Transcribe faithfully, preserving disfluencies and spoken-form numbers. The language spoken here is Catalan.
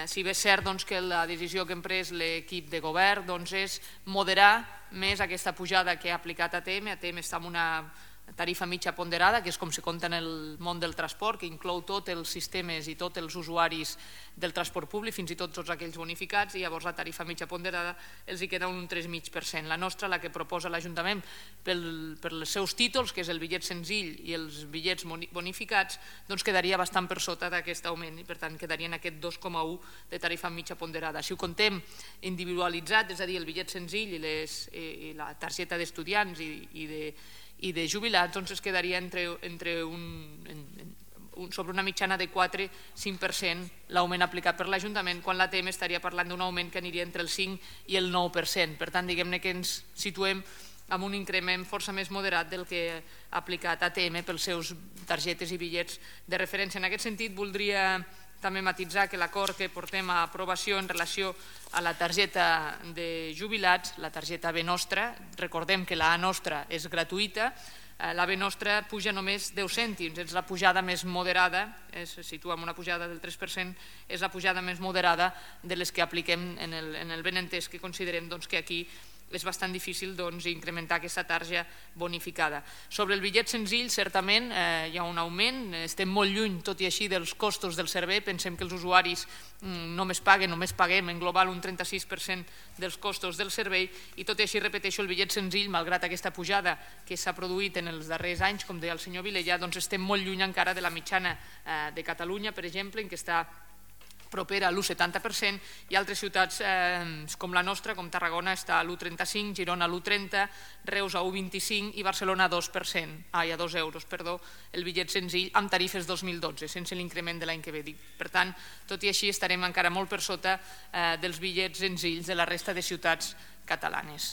Si bé és cert que la decisió que hem pres l'equip de govern és moderar més aquesta pujada que ha aplicat A T M. A T M està en una tarifa mitja ponderada, que és com se compta en el món del transport, que inclou tots els sistemes i tots els usuaris del transport públic, fins i tot tots aquells bonificats, i llavors la tarifa mitja ponderada els hi queda un tres coma cinc per cent. La nostra, la que proposa l'Ajuntament pels seus títols, que és el bitllet senzill i els bitllets bonificats, doncs quedaria bastant per sota d'aquest augment i per tant quedaria en aquest dos coma un de tarifa mitja ponderada. Si ho contem individualitzat, és a dir, el bitllet senzill i la targeta d'estudiants i de i de jubilats, doncs es quedaria entre un sobre una mitjana de quatre a cinc per cent l'augment aplicat per l'Ajuntament, quan l'A T M estaria parlant d'un augment que aniria entre el cinc i el nou per cent. Per tant, diguem-ne que ens situem amb un increment força més moderat del que ha aplicat A T M pels seus targetes i bitllets de referència. En aquest sentit, voldria també matisar que l'acord que portem a aprovació en relació a la targeta de jubilats, la targeta B Nostra, recordem que la A Nostra és gratuïta, la B Nostra puja només deu cèntims, és la pujada més moderada, se situa en una pujada del tres per cent, és la pujada més moderada de les que apliquem en el benentès que considerem que aquí és bastant difícil incrementar aquesta tarja bonificada. Sobre el bitllet senzill, certament hi ha un augment, estem molt lluny, tot i així, dels costos del servei. Pensem que els usuaris només paguen, només paguem en global un trenta-sis per cent dels costos del servei i tot i així, repeteixo, el bitllet senzill, malgrat aquesta pujada que s'ha produït en els darrers anys, com deia el senyor Vilella, doncs estem molt lluny encara de la mitjana de Catalunya, per exemple, en què està propera a l'u coma setanta per cent, i altres ciutats com la nostra, com Tarragona, està a l'u coma trenta-cinc, Girona a l'u coma trenta, Reus a l'u coma vint-i-cinc i Barcelona a dos per cent, ai, a dos euros, perdó, el bitllet senzill amb tarifes dos mil dotze, sense l'increment de l'any que ve. Per tant, tot i així estarem encara molt per sota dels bitllets senzills de la resta de ciutats catalanes.